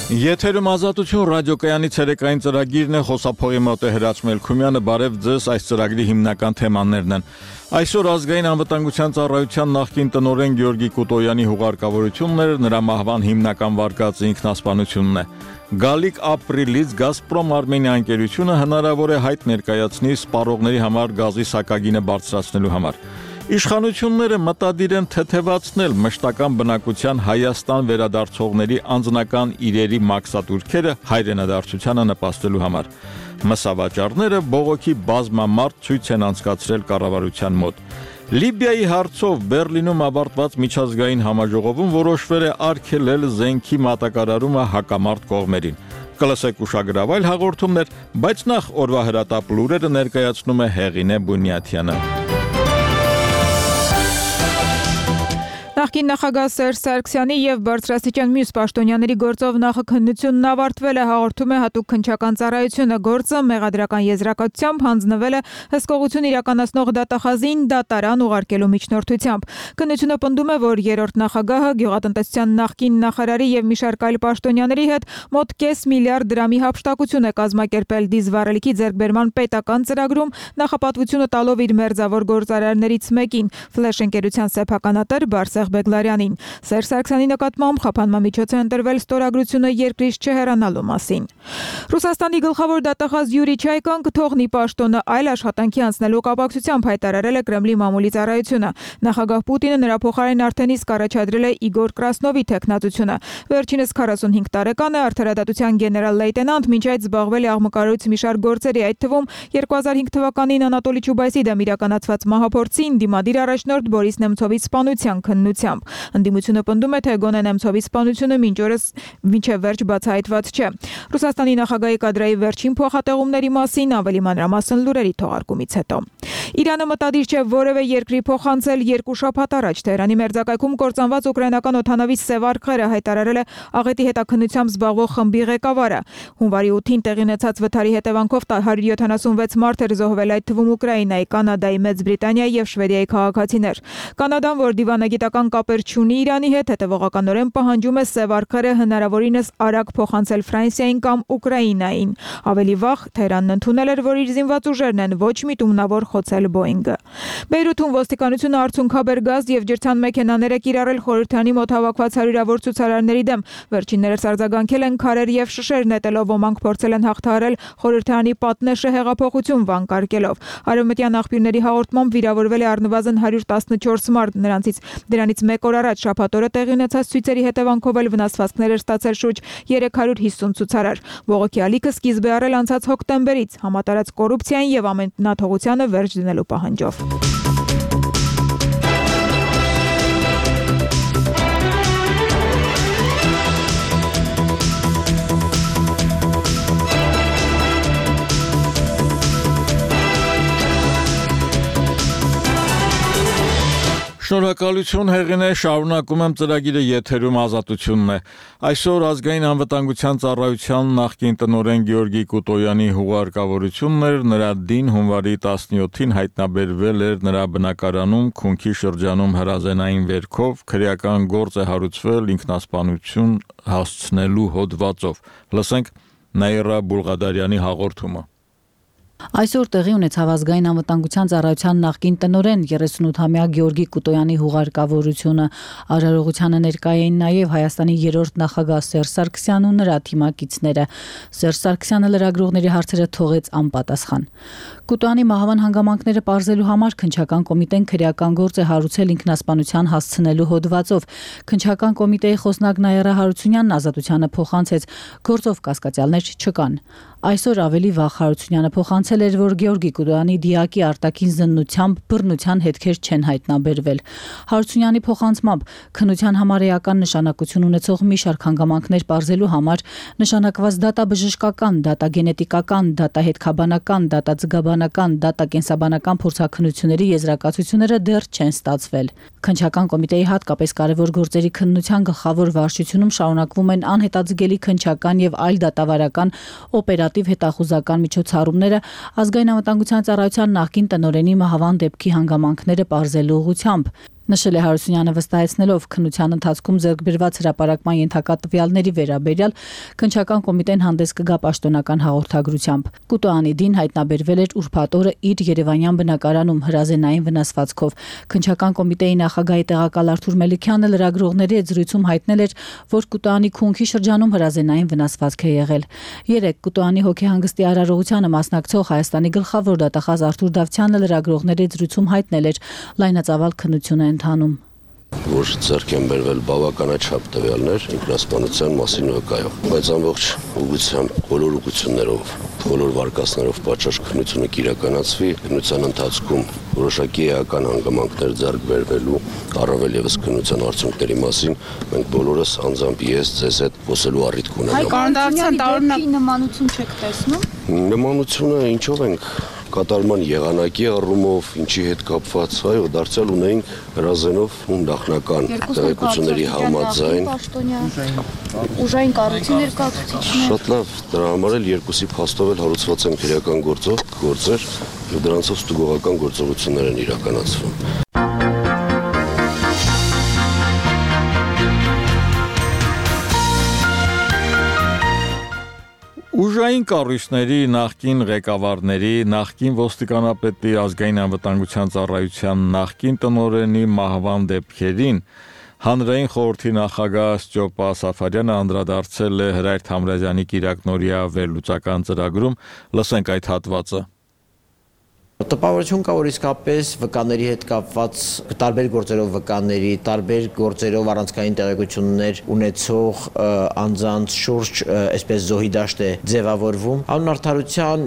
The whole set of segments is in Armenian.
Եթերում ազատություն ռադիոկայանի ցերեկային ծրագիրն է, խոսափողի մոտ է Հրաչ Մելքումյանը, բարև ձեզ, այս ծրագրի հիմնական թեմաներն են։ Այսօր ազգային անվտանգության ծառայության նախկին տնօրեն Գեորգի Կուտոյանի հուղարկավորությունն էր, նրա մահվան հիմնական վարկածը ինքնասպանությունն է։ Գալիք ապրիլից Գազպրոմ Արմենիա ընկերությունը հնարավոր է հայտ ներկայացնի սպառողների համար գազի սակագինը բարձրացնելու համար։ Իշխանությունները մտադիր են թեթևացնել մշտական բնակության Հայաստան վերադարձողների անձնական իրերի մաքսատուրքերը հայրենադարձությանը նպաստելու համար։ Մսավաճառները բողոքի բազմամարդ ցույց են անցկացրել կառավարության մոտ։ Լիբիայի հարցով Բերլինում ավարտված միջազգային համաժողովում որոշվել է արգելել զենքի մատակարարումը հակամարտ կողմերին։ Կլսեք ուշագրավ այլ հաղորդումներ, բայց նախ օրվա հրատապ լուրերը ներկայացնում է Հեղինե Բունյաթյանը։ Նախկին նախագահ Սերժ Սարգսյանի եւ բարձրաստիճան մյուս պաշտոնյաների գործով նախաքննությունն ավարտվել է, հաղորդում է հատուկ քննչական ծառայությունը։ Գործը մեղադրական եզրակացությամբ հանձնվել է հսկողություն իրականացնող դատախազին դատարան ուղարկելու միջնորդությամբ։ Քննությունը պնդում է, որ երրորդ նախագահը գյուղատնտեսության նախկին նախարարի եւ մի շարք այլ պաշտոնյաների հետ մոտ կես միլիարդ դրամի հափշտակություն է կազմակերպել դիզվառելիքի ձեռքբերման պետական ծրագրում, նախապատվությունը տալով իր մերձավոր գործարարներից մեկին՝ Ֆլեշ ընկերության սեփականատեր Բարսեղ Բեգլարյանին։ Սերժ Սարգսյանի նկատմամբ խափանման միջոց է ընտրվել ստորագրությունը երկրից չհեռանալու մասին։ Ռուսաստանի գլխավոր դատախազ Յուրի Չայկան կթողնի պաշտոնը այլ աշխատանքի անցնելու կապակցությամբ հայտարարել է Կրեմլի մամուլի ծառայությունը։ Նախագահ Պուտինը նրա փոխարեն արդեն իսկ առաջադրել է Իգոր Կրասնովի թեկնածությունը։ Վերջինս 45 տարեկան է, արդարադատության գեներալ-լեյտենանտ, մինչ այդ զբաղվել է աղմկարույց մի շարք գործերի, այդ թվում 2005 թվականին Անատոլի Չուբայսի դեմ իրականացված մահափորձին դիմադիր առաջնորդ Բորիս Նեմցովի սպանության քննությամբ։ Ընդդիմությունը պնդում է, թե գոնե Նեմցովի սպանությունը մինչ օրս մինչև վերջ բացահայտված չէ։ Ռուսաստանի նախագահի կադրայի վերջին փոխատեղումների մասին ավելի մանրամասն լուրերի թողարկումից հետո։ Իրանը մտադիր չէ որևէ երկրի փոխանցել 2 շաբաթ առաջ Թեհրանի մերձակայքում կործանված ուկրաինական օդանավի սև արխերը, հայտարարել է աղետի հետաքննությամբ զբաղվող խմբի ղեկավարը։ Հունվարի 8-ին տեղի ունեցած վթարի հետևանքով 176 մարդ էր զոհվել, այդ թվում Ուկրաինայի, Կանադայի, Մեծ Բրիտանիայի եւ Շվեդիայի քաղաքացիներ։ Կանադան, որ դիվանագիտական կապեր չունի Իրանի հետ, հետևողականորեն պահանջում է սև արխերը հնարավորինս արագ փոխանցել Ֆրանսիային կամ Ուկրաինային։ Ավելի վաղ Թեհրանն ընդունել էր, որ իր զինված ուժերն են ոչ միտումնավոր խոցել Բոինգը։ Բեյրութում ոստիկանությունը արցունքաբեր գազ եւ ջրցան մեքենաներ է կիրառել խորհրդանի մոտ հավաքված հարյուրավոր ցուցարարների դեմ։ Վերջիններս արձագանքել են քարեր եւ շշեր նետելով, ոմանք փորձել են հաղթահարել խորհրդանի պատնեշը հեղափոխություն վանկարկելով։ Արևմտյան աղբյուրների հաղորդմամբ վիրավորվել է առնվազն 114 մարդ, դրանից մեկ օր առաջ շաբաթ օրը տեղի ունեցած ցույցերի հետևանքով էլ վնասվածքներ էր ստացել շուրջ 350 ցուցարար։ Բողոքի ալիքը սկիզբ է առել անցած հոկտեմբերից համատարած կոռուպցիային եւ ամենաթողությանը վերջ դնելու պահանջով։ Շնորհակալություն Հեղինե, շարունակում եմ ծրագիրը, եթերում ազատությունն է։ Այսօր ազգային անվտանգության ծառայության նախկին տնօրեն Գեորգի Կուտոյանի հուղարկավորությունն էր, նրա դին հունվարի 17-ին հայտնաբերվել էր նրա բնակարանում Քունքի շրջանում հրազենային վերքով, քրեական գործ է հարուցվել ինքնասպանություն հասցնելու հոդվածով։ Լսենք Նաիրա Բուլղադարյանի հաղորդումը։ Այսօր տեղի ունեցավ ազգային անվտանգության ծառայության նախկին տնօրեն 38-ամյա Գեորգի Կուտոյանի հուղարկավորությունը։ Արարողությանը ներկա էին նաև Հայաստանի երրորդ նախագահ Սերժ Սարգսյանն ու նրա թիմակիցները։ Սերժ Սարգսյանը լրագրողների հարցերը թողեց անպատասխան։ Կուտոյանի մահվան հանգամանքները պարզելու համար քննչական կոմիտեն քրեական գործ է հարուցել ինքնասպանության հասցնելու հոդվածով։ Քննչական կոմիտեի խոսնակ Նաիրա Հարությունյանն ազատությանը փոխանցեց, գործով կասկածյալներ չկան։ Այսօր ավելի վաղ Հարությունյանը փոխանցել էր, որ Գեորգի Կուտոյանի դիակի արտաքին զննությամբ բռնության հետքեր չեն հայտնաբերվել։ Հարությունյանի փոխանցմամբ քննության համար էական նշանակություն ունեցող մի շարք հանգամանքներ պարզելու համար նշանակված դատաբժշկական, դատագենետիկական, դատահետքաբանական, դատաձգաբանական, դատակենսաբանական փորձաքննությունների եզրակացությունները դեռ չեն ստացվել։ Քննչական կոմիտեի հատկապես կարևոր գործերի քննության գլխավոր վարչությունում շարունակվում են անհետաձգելի քննչական եւ այլ դատավարական օպերատիվ հետախուզական միջոցառումները ազգային անվտանգության ծառայության նախկին տնօրենի մահվան դեպքի հանգամանքները պարզելու ուղղությամբ։ Նշել է Հարությունյանը, վստահեցնելով քննության ընթացքում ձեռք բերված հրապարակման ենթակա տվյալների վերաբերյալ քննչական կոմիտեն հանդես կգա պաշտոնական հաղորդագրությամբ։ Կուտոյանի դին հայտնաբերվել էր ուրբաթ օրը իր երևանյան բնակարանում հրազենային վնասվածքով։ Քննչական կոմիտեի նախագահի տեղակալ Արթուր Մելիքյանը լրագրողների հետ զրույցում հայտնել էր, որ Կուտոյանի քունքի շրջանում հրազենային վնասվածք է եղել։ Երեկ Կուտոյանի հոգեհանգստի արարողությանը մասնակցող Հայաստանի գլխավոր դատախազ Արթուր Դավթյանը լրագրողների հետ զրույցում հայտնել էր լայնածավալ քննություն է ընթանում։ Որ ձեռք են բերվել բավականաչափ տվյալներ ինքնասպանության մասին վկայող, բայց ամբողջ ուղղությամբ բոլոր ուղղություններով, բոլոր վարկածներով պատշաճ քննությունը կիրականացվի, քննության ընթացքում որոշակի էական հանգամանքներ ձեռք բերվելու, առավել եւս քննության արդյունքների մասին մենք բոլորս անձամբ ես ձեզ հետ խոսելու առիթ կունենանք։ Կառավարության տարօրինակ նմանություն չեք տեսնում։ Նմանությունը ինչով ենք կատարման եղանակի առումով, ինչի հետ կապված, այո, դարձյալ ունենք հրազենով ու նախնական տեղեկությունների համաձայն ուժային կառույցի ներկայացուցիչներ։ Շատ լավ, դրա համար էլ երկուսի փաստով էլ հարուցված են քրեական գործեր, եւ դրանցով ստուգողական գործողություններ են իրականացվում։ Ուժային կառույցների նախկին ղեկավարների, նախկին ոստիկանապետի ազգային անվտանգության ծառայության նախկին տնօրենի մահվան դեպքերին հանրային խորհրդի նախագահ Ստյոպա Սաֆարյանը անդրադարձել է Հրայր Թամրազյանի կիրակնօրյա վերլուծական ծրագրում, լսենք այդ հատվածը։ Տպավորություն կա, որ իսկապես վկաների հետ կապված տարբեր գործերով վկաների, տարբեր գործերով առանցքային տեղեկություններ ունեցող անձանց շուրջ այսպես զոհի դաշտ է ձևավորվում։ Անուն արդարության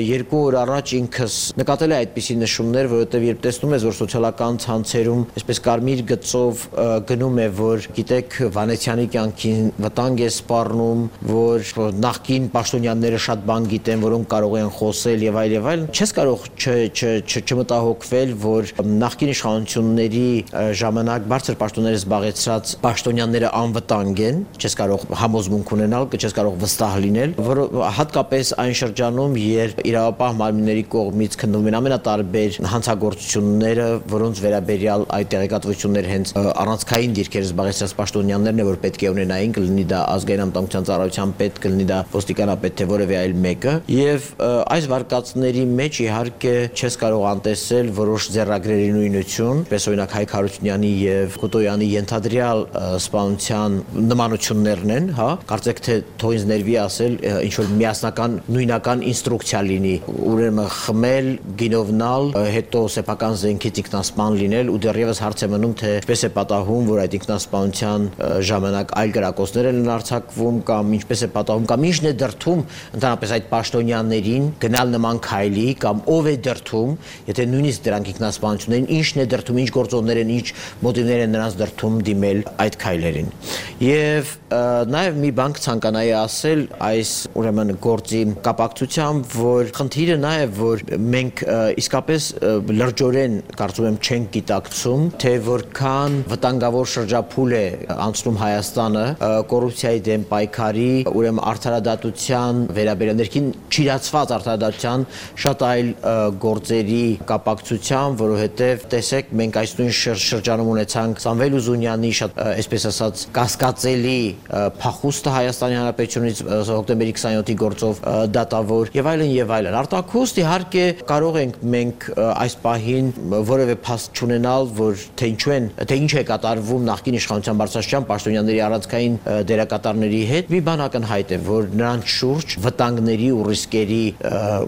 2 օր առաջ ինքս նկատել է այդպիսի նշումներ, որովհետև երբ տեսնում ես, որ սոցիալական ցանցերում այսպես կարմիր գծով գնում է, որ գիտեք Վանեցյանի կյանքին վտանգ է սպառնում, որ նախկին պաշտոնյաները շատ բան գիտեն, որոնք կարող են խոսել եւ այլ, չես կարող չմտահոգվել, որ նախկին իշխանությունների ժամանակ բարձր պաշտոններ զբաղեցրած պաշտոնյաները անվտանգ են, չես կարող համոզմունք ունենալ, չես կարող վստահ լինել, որ հատկապես այն շրջանում, երբ իրավապահ մարմինների կողմից քննվում են ամենատարբեր հանցագործությունները, որոնց վերաբերյալ այդ տեղեկատվությունները հենց առանցքային դիրքեր զբաղեցրած պաշտոնյաներն են, որ պետք է ունենային, կլինի դա ազգային անվտանգության ծառայության պետ, կլինի դա ոստիկանապետ, թե որևէ այլ մեկը, եւ այս վարկածների մեջ իհարկե չես կարող անտեսել որոշ ձեռագրերի նույնություն, պես օրինակ Հայկ Հարությունյանի եւ Կուտոյանի ենթադրյալ սպանության նմանություններն են, հա, կարծեք թե թող ինձ ներվի ասել ինչ որ միասնական նույնական ինստրուկցիա լինի, ուրեմն խմել, գինովնալ, հետո սեփական զենքից ինքնասպան լինել ու դեռևս հարց է մնում թե ինչպես է պատահում, որ այդ ինքնասպանության ժամանակ այլ գրակոչներ են արձակվում կամ ինչպես է պատահում կամ ինչն է դրդում ընդհանրապես այդ պաշտոնյաներին գնալ նման քայլի կամ ով է դրդում, եթե նույնիսկ դրանք ինքնասպանություններին, ինչն է դրդում, ինչ գործոններ են, ինչ մոտիվներ են նրանց դրդում դիմել այդ քայլերին։ Եվ նաև մի բան ցանկանայի ասել այս ուրեմն գործի կապակցությամբ, որ խնդիրը նա է, որ մենք իսկապես լրջորեն կարծում եմ չենք գիտակցում, թե որքան վտանգավոր շրջափուլ է անցնում Հայաստանը կոռուպցիայի դեմ պայքարի, ուրեմն արդարադատության վերաբերյալ ներքին չիրացված արդարադատության շատ այլ գործերի կապակցությամբ, որովհետև տեսեք մենք այս նույն շրջանում ունեցանք Սամվել Ուզունյանի շատ այսպես ասած կասկածելի փախուստը Հայաստանի Հանրապետությունից հոկտեմբերի 27-ի գործով դատավոր եւ այլն։ Արտաքուստ իհարկե կարող ենք մենք այս պահին որևէ փաստ չունենալ, որ թե ինչ է կատարվում նախկին իշխանության բարձրաստիճան պաշտոնյաների առանցքային դերակատարների հետ, մի բան ակնհայտ է, որ նրանց շուրջ վտանգների ու ռիսկերի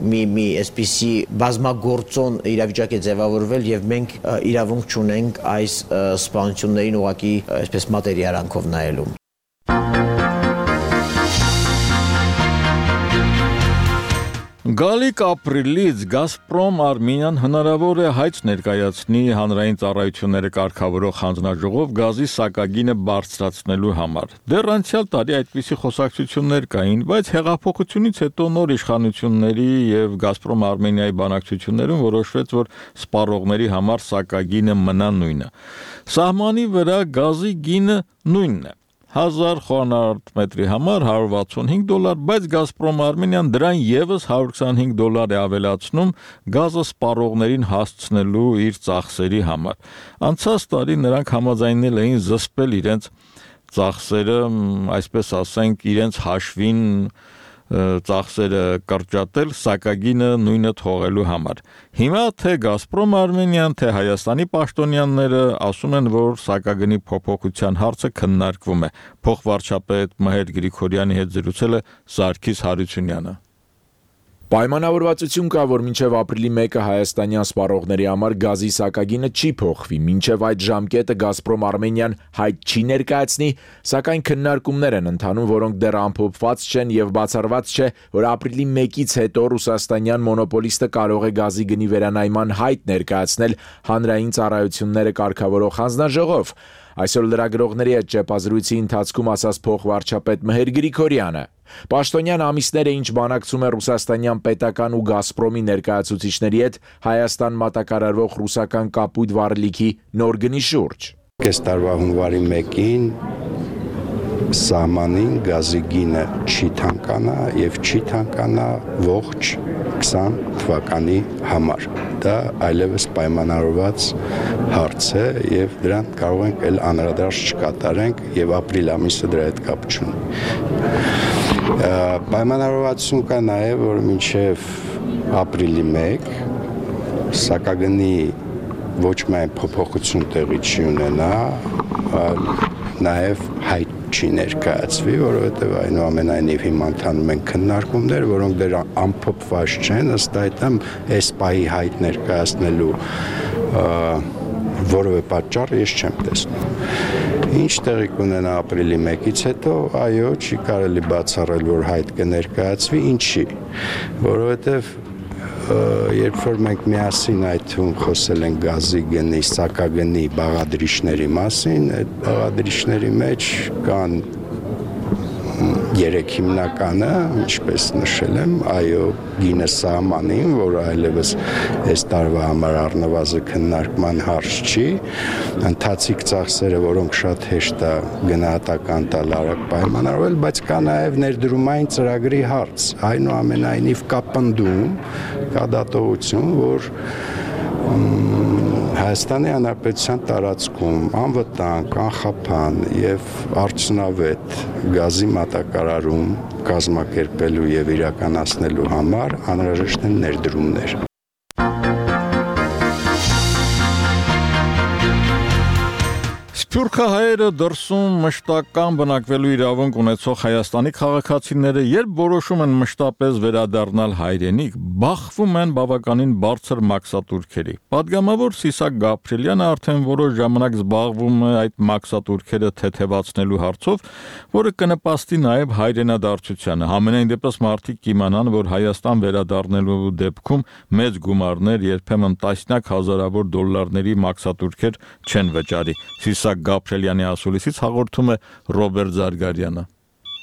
մի այսպիսի բազմագործոն իրավիճակ է ձևավորվել եւ մենք իրավունք չունենք այս սպանություններին ուղղակի այսպես մատերիարանքով նայելու։ Գալիք ապրիլից Գազպրոմ Արմենիան հնարավոր է հայց ներկայացնի հանրային ծառայությունները կարգավորող հանձնաժողով գազի սակագինը բարձրացնելու համար։ Դեռ անցյալ տարի այդպիսի խոսակցություններ կային, բայց հեղափոխությունից հետո նոր իշխանությունների եւ Գազպրոմ Արմենիայի բանակցություններում որոշվեց, որ սպառողների համար սակագինը մնա նույնը։ Սահմանի վրա գազի գինը նույնն է։ 1000 խոհանարդ մետրի համար $165, բայց Գազպրոմ Արմենիան դրան եւս $125 է ավելացնում գազը սպառողներին հասցնելու իր ծախսերի համար։ Անցած տարի նրանք համաձայնել էին զսպել իրենց ծախսերը, այսպես ասենք, իրենց հաշվին ծախսերը կրճատել սակագինը նույնը թողելու համար։ Հիմա թե Գազպրոմ Արմենիան, թե Հայաստանի պաշտոնյաները ասում են, որ սակագնի փոփոխության հարցը քննարկվում է։ Փոխվարչապետ Մհեր Գրիգորյանի հետ զրուցել է Սարգիս Հարությունյանը։ Պայմանավորվածություն կա, որ մինչև ապրիլի 1-ը հայաստանյան սպառողների համար գազի սակագինը չի փոխվի, մինչև այդ ժամկետը Գազպրոմ Արմենիան հայտ չի ներկայացնի, սակայն քննարկումներ են ընթանում, որոնք դեռ ամփոփված չեն եւ բացառված չէ, որ ապրիլի 1-ից հետո ռուսաստանյան մոնոպոլիստը կարող է գազի գնի վերանայման հայտ ներկայացնել հանրային ծառայությունները կարգավորող հանձնաժողով։ Այսօր լրագրողների հետ ճեպազրույցի ընթացքում ասաց փոխվարչապետ Մհեր Գրիգորյանը։ Պաշտոնյան ամիսներ է ինչ բանակցում է ռուսաստանյան պետական ու Գազպրոմի ներկայացուցիչների հետ Հայաստան մատակարարվող ռուսական կապույտ վառելիքի նոր գնի շուրջ։ Այս տարվա հունվարի 1-ին սահմանին գազի գինը չի թանկանա եւ չի թանկանա ողջ 20 թվականի համար։ Դա այլևս պայմանավորված հարց է եւ դրան կարող ենք էլ անդրադարձ չկատարենք եւ ապրիլ ամիսը դրա հետ կապ չունի։ Պայմանավորվածություն կա նաեւ, որ մինչեւ ապրիլի 1 սակագնի ոչ միայն փոփոխություն տեղի չի ունենա, այլ նաեւ հայտ չի ներկայացվի, որովհետև այնուամենայնիվ հիմա ընթանում են քննարկումներ, որոնք դեռ ամփոփված չեն, ըստ այդմ այս պահի հայտ ներկայացնելու որևէ պատճառ ես չեմ տեսնում։ Ինչ տեղի կունենա ապրիլի 1-ից հետո, այո, չի կարելի բացառել, որ հայտ կներկայացվի, ինչի, որովհետև երբ որ մենք միասին այդ թվում խոսել ենք գազի գնի, սակագնի բաղադրիչների մասին, այդ բաղադրիչների մեջ կան 3 հիմնականը, ինչպես նշել եմ, այո, գինը սահմանին, որը այլևս այս տարվա համար առնվազն քննարկման հարց չի, ընթացիկ ծախսերը, որոնք շատ հեշտ է գնահատական տալ արագ պայմանավորվել, բայց կա նաև ներդրումային ծրագրի հարց, այնուամենայնիվ կա պնդում, կա դատողություն, որ Հայաստանի Հանրապետության տարածքում անվտանգ, անխափան եւ արդյունավետ գազի մատակարարում կազմակերպելու եւ իրականացնելու համար անհրաժեշտ են ներդրումներ։ Սփյուռքահայերը դրսում մշտական բնակվելու իրավունք ունեցող Հայաստանի քաղաքացիները, երբ որոշում են մշտապես վերադառնալ հայրենիք, բախվում են բավականին բարձր մաքսատուրքերի։ Պատգամավոր Սիսակ Գաբրելյանը արդեն որոշ ժամանակ զբաղվում է այդ մաքսատուրքերը թեթևացնելու հարցով, որը կնպաստի նաև հայրենադարձությանը։ Համենայն դեպս մարդիկ կիմանան, որ Հայաստան վերադառնելու դեպքում մեծ գումարներ, երբեմն տասնյակ հազարավոր դոլարների մաքսատուրքեր չեն վճարի։ Սիսակ Գաբրելյանի ասուլիսից հաղորդում է Ռոբերտ Զարգարյանը։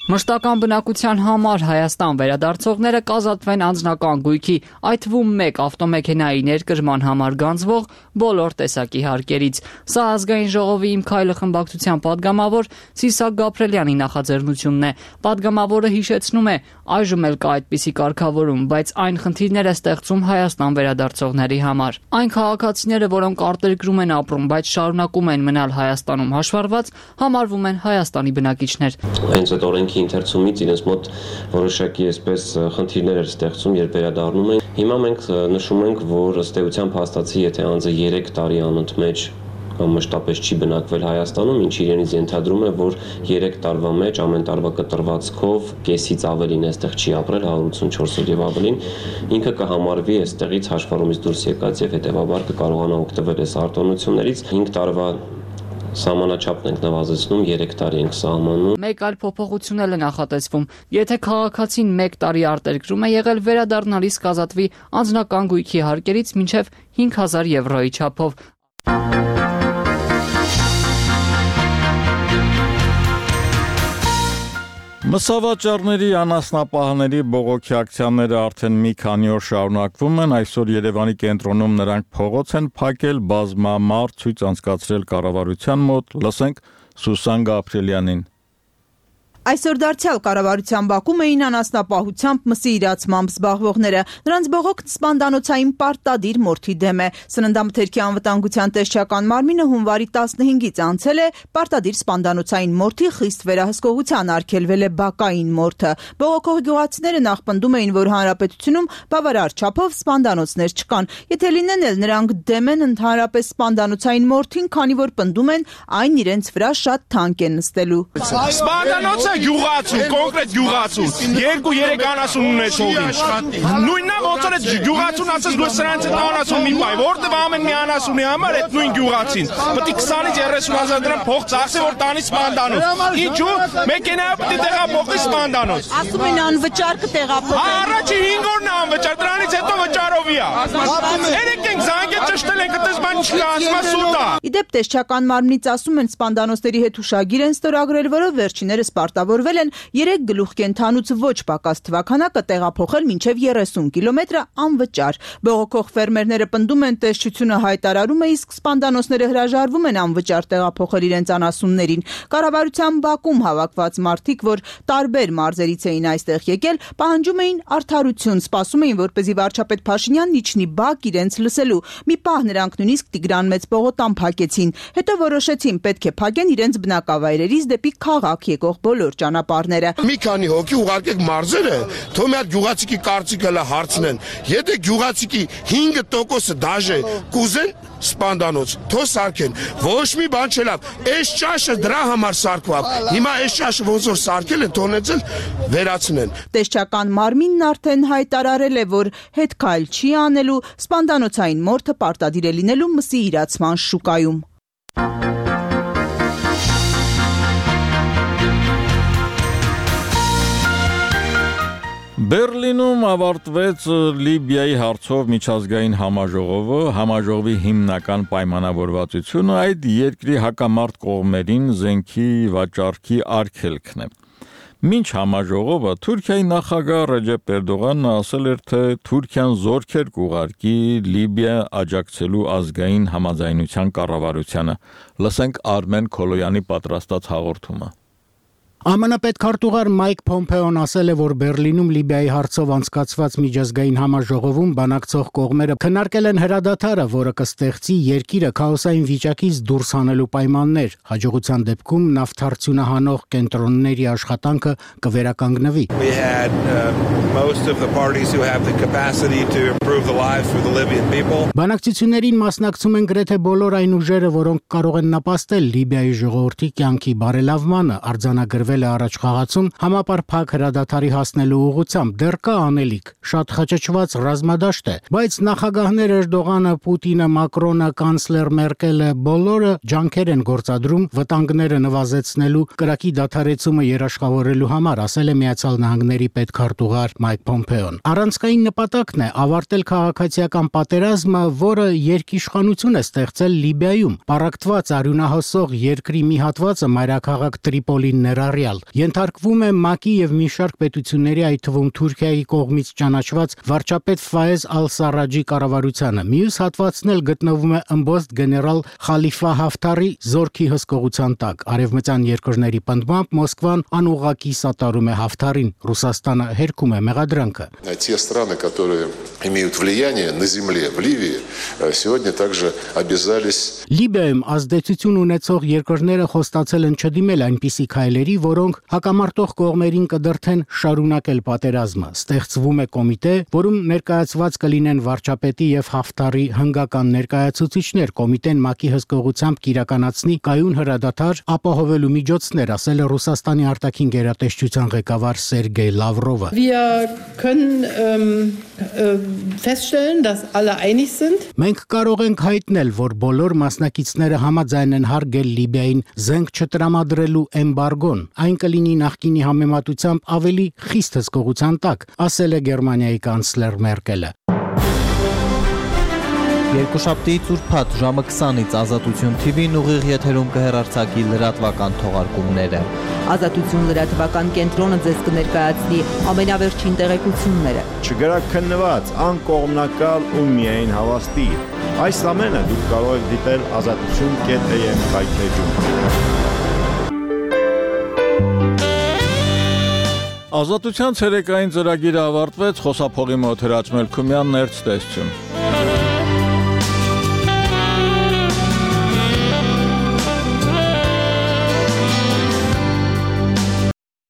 Մշտական բնակության համար Հայաստան վերադարձողները կազատվեն անձնական գույքի, այդ թվում 1 ավտոմեքենայի ներկրման համար գանձվող բոլոր տեսակի հարկերից։ Սա ազգային ժողովի Իմ քայլը խմբակցության պատգամավոր Սիսակ Գաբրելյանի նախաձեռնությունն է։ Պատգամավորը հիշեցնում է, այժմ էլ կա այդպիսի կարգավորում, բայց այն խնդիրներ է ստեղծում Հայաստան վերադարձողների համար։ Այն քաղաքացիները, որոնք արտերկրում են ապրում, բայց շարունակում են մնալ Հայաստանում հաշվառված, համարվում են Հայաստանի բնակիչներ։ Հենց այդ օրենքի ընթերցումից իրենց մոտ որոշակի այսպես խնդիրներ էր ստեղծում, երբ վերադառնում են։ Հիմա մենք նշում ենք, որ ըստ էության փաստացի, եթե անձը 3 տարի անընդմեջ մշտապես չի բնակվել Հայաստանում, ինչ իրենից ենթադրում է, որ 3 տարվա մեջ ամեն տարվա կտրվածքով կեսից ավելին այստեղ չի ապրել, 184 օր եւ ավելին, ինքը կհամարվի այստեղից հաշվառումից դուրս եկած եւ հետեւաբար կկարողանա օգտվել այս արտոնություններից 5 տարվա Սահմանաչափն ենք նվազեցնում, 3 տարի ենք սահմանում։ Մեկ այլ փոփոխություն էլ է նախատեսվում։ Եթե քաղաքացին 1 տարի արտերկրում է եղել, վերադառնալիս կազատվի անձնական գույքի հարկերից մինչև 5000 եվրոյի չափով։ Մսավաճառների անասնապահների բողոքի ակցիաները արդեն մի քանի օր շարունակվում են, այսօր Երևանի կենտրոնում նրանք փողոց են փակել, բազմամարդ ցույց անցկացրել կառավարության մոտ, լսենք Սուսան Գաբրելյանին։ Այսօր դարձյալ կառավարության բակում էին անասնապահությամբ մսի իրացմամբ զբաղվողները։ Նրանց բողոքն սպանդանոցային պարտադիր մորթի դեմ է։ Սննդամթերքի անվտանգության տեսչական մարմինը հունվարի 15-ից անցել է պարտադիր սպանդանոցային մորթի խիստ վերահսկողության արգելվել է բակային մորթը։ Բողոքող գյուղացիները նախ պնդում էին, որ հանրապետությունում բավարար չափով սպանդանոցներ չկան։ Եթե լինեն էլ նրանք դեմ են ընդհանրապես սպանդանոցային մորթին, քանի որ պնդում են այն իրենց վրա շատ թանկ է նստելու։ Սպանդանոցը գյուղացու, կոնկրետ գյուղացու, 2-3 անասուն ունեցողին։ Նույնն է ոնց որ գյուղացուն ասես դու սրանց հետ անասուն մի բայ, որտեղ ամեն մի անասունի համար այդ նույն գյուղացին։ Պետք է 20-ից 30,000 դրամ փող ծախսի, որ տանի սպանդանոց։ Ինչու՞, մեքենայով պետք է տեղափոխի սպանդանոց։ Ասում են անվճար կտեղափոխեն։ Առաջի 5 օրն է անվճար, դրանից հետո վճարովի է։ Երեք ենք զանգել ճշտել ենք, այդպես բան չկա, ասում է սուտ է։ Իդեպ տեսչական մարմնից ասում են սպանդանոցների հետ հուշագիր են ստորագրել, որով վերջիներս պարտավորվել են 3 գլուխ կենթանուց ոչ պակաս թվականակը տեղափոխել մինչև 30 կիլոմետր անվճար։ Բողոքող ֆերմերները պնդում են տեսչությունը հայտարարում է, իսկ սպանդանոցները հրաժարվում են անվճար տեղափոխել իրենց անասուններին։ Կառավարության բակում հավաքված մարդիկ, որ տարբեր մարզերից էին այստեղ եկել, պահանջում էին արդարություն, սպասում էին, որպեսզի վարչապետ Փաշինյանն իջնի բակ իրենց լսելու։ Մի պահ նրանք նույնիսկ Տիգրան Մեծ պողոտան փակեցին, հետո որոշեցին պետք է փակեն իրենց բնակավայրերից դեպի քաղաք եկող բոլոր ճանապարհները։ Մի քանի հոգի ուղարկեք մարզերը, թող մի հատ գյուղացիքի կարծիքը լա հարցնեն։ Եթե գյուղացիքի 5% դաժե կուզեն սպանդանոց, թող սարքեն։ Ոչ մի բան չլավ։ Այս ճաշը դրա համար սարքվավ։ Հիմա այս ճաշը ոնց որ սարքել են, թողնեցել վերացնեն։ Տեսչական մարմինն արդեն հայտարարել է, որ հետ քայլ չի անելու, սպանդանոցային մորթը պարտադիր է լինելու մսի իրացման շուկայում։ Բերլինում ավարտվեց Լիբիայի հարցով միջազգային համաժողովը, համաժողովի հիմնական պայմանավորվածությունը այդ երկրի հակամարտ կողմերին զենքի վաճառքի արգելքն է։ Մինչ համաժողովը Թուրքիայի նախագահ Ռեջեփ Էրդողանն ասել էր, թե Թուրքիան զորքեր կուղարկի Լիբիա աջակցելու ազգային համաձայնության կառավարությանը։ Լսենք Արմեն Քոլոյանի պատրաստած հաղորդումը։ ԱՄՆ պետքարտուղար Մայք Փոմփեոն ասել է, որ Բերլինում Լիբիայի հարցով անցկացված միջազգային համաժողովում բանակցող կողմերը քննարկել են հրադադարը, որը կստեղծի երկիրը քաոսային վիճակից դուրս հանելու պայմաններ։ Հաջողության դեպքում նավթարդյունը հանող կենտրոնների աշխատանքը կվերականգնվի։ Բանակցություններին մասնակցում են գրեթե բոլոր այն ուժերը, որոնք կարող են նպաստել Լիբիայի ժողովրդի կյանքի բարելավմանը, արձանագրվել առաջ խաղացում համապարփակ հրադադարի հասնելու ուղղությամբ դեռ կա անելիք, շատ խճճված ռազմադաշտ է, բայց նախագահներ Էրդողանը, Պուտինը, Մակրոնը, կանցլեր Մերկելը բոլորը ջանքեր են գործադրում վտանգները նվազեցնելու, կրակի դադարեցումը երաշխավորելու համար, ասել է Միացյալ Նահանգների պետքարտուղար Մայք Փոմփեոն։ Առանցքային նպատակն է ավարտել քաղաքացիական պատերազմը, որը երկիշխանություն է ստեղծել Լիբիայում։ Պառակտված արյունահոսող երկրի մի հատվածը մայրաքաղաք Տրիպոլին ներառյալ ենթարկվում է ՄԱԿ-ի եւ մի շարք պետությունների, այդ թվում Թուրքիայի կողմից ճանաչված վարչապետ Ֆայեզ Ալ-Սարաջի կառավարությանը։ Մյուս հատվածն էլ գտնվում է ըմբոստ գեներալ Խալիֆա Հաֆթարի զորքի հսկողության տակ։ Արևմտյան երկրների պնդմամբ Մոսկվան անուղղակի սատարում է Հաֆթարին։ Ռուսաստանը հերքում է մեղադրանքը։ Те страны, которые имеют влияние на земле в Ливии, сегодня также обязались Լիբիայում ազդեցություն ունեցող երկրները խոստացել են չդիմել այնպիսի քայլերի, որոնք հակամարտող կողմերին կդրթեն շարունակել պատերազմը։ Ստեղծվում է կոմիտե, որում ներկայացված կլինեն վարչապետի եւ Հաֆթարի հնգական ներկայացուցիչներ։ Կոմիտեն ՄԱԿ-ի հսկողությամբ կիրականացնի կայուն հրադադար ապահովելու միջոցներ, ասել է Ռուսաստանի արտաքին գերատեսչության ղեկավար Սերգեյ Լավրովը։ Մենք կարող ենք հայտնել, որ բոլոր մասնակիցները համաձայն են հարգել Լիբիային զենք չտրամադրելու էմբարգոն։ Այն կլինի նախկինի համեմատությամբ ավելի խիստ հսկողության տակ, ասել է Գերմանիայի կանցլեր Մերկելը։ Երկուշաբթիից ուրբաթ ժամը 20-ից Ազատություն TV-ն ուղիղ եթերում կհեռարձակի լրատվական թողարկումները։ Ազատություն լրատվական կենտրոնը ձեզ կներկայացնի ամենավերջին տեղեկությունները։ Չգրակ քննված, անկողմնակալ ու միայն հավաստի։ Այս ամենը դուք կարող եք դիտել azatutun.am կայքեջում։ Ազատության ցերեկային ծրագիրը ավարտվեց, խոսափողի մոտ Հրաչ Մելքումյանն, ներց տեսություն։